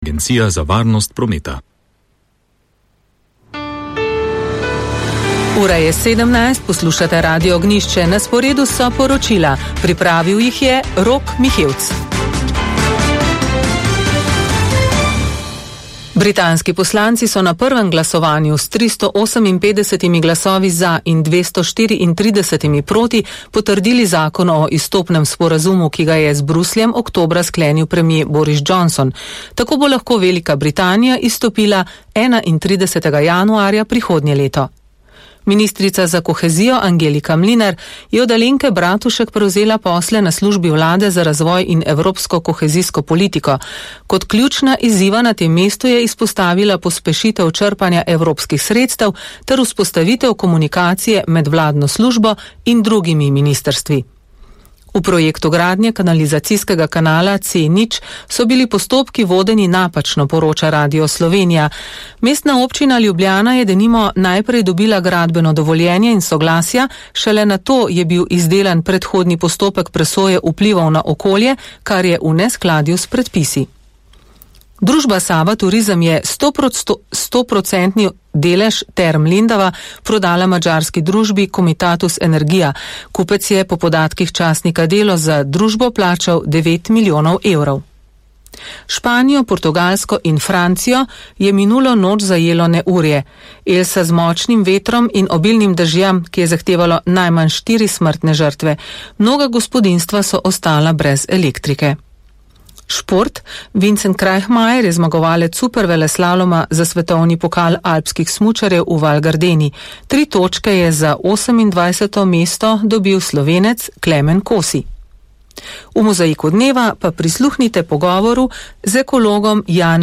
Agencija za varnost prometa. Ura je 17, poslušate Radio Ognjišče, na sporedu so poročila. Pripravil jih je Rok Mihevc. Britanski poslanci so na prvem glasovanju s 358 glasovi za in 234 proti potrdili zakon o izstopnem sporazumu, ki ga je z Brusljem oktobra sklenil premier Boris Johnson. Tako bo lahko Velika Britanija izstopila 31. januarja prihodnje leto. Ministrica za kohezijo Angelika Mlinar je od Alenke Bratušek prevzela posle na službi vlade za razvoj in evropsko kohezijsko politiko. Kot ključna izziva na tem mestu je izpostavila pospešitev črpanja evropskih sredstev ter vzpostavitev komunikacije med vladno službo in drugimi ministrstvi. V projektu gradnje kanalizacijskega kanala C0 so bili postopki vodeni napačno, poroča Radio Slovenija. Mestna občina Ljubljana je denimo najprej dobila gradbeno dovoljenje in soglasja, šele nato je bil izdelan predhodni postopek presoje vplivov na okolje, kar je v neskladju s predpisi. Družba Sava Turizem je 100% delež Term Lendava prodala madžarski družbi Comitatus Energia. Kupec je po podatkih časnika Delo za družbo plačal 9 milijonov evrov. Španijo, Portugalsko in Francijo je minulo noč zajelo neurje. Elsa z močnim vetrom in obilnim dežjem, ki je zahtevalo najmanj 4 smrtne žrtve. Mnoga gospodinjstva so ostala brez elektrike. Šport. Vincent Krajhmajer je zmagovalec superveleslaloma za svetovni pokal alpskih smučarjev v Val Gardeni. 3 točke je za 28. mesto dobil Slovenec Klemen Kosi. V mozaiku dneva pa prisluhnite pogovoru z ekologom Janem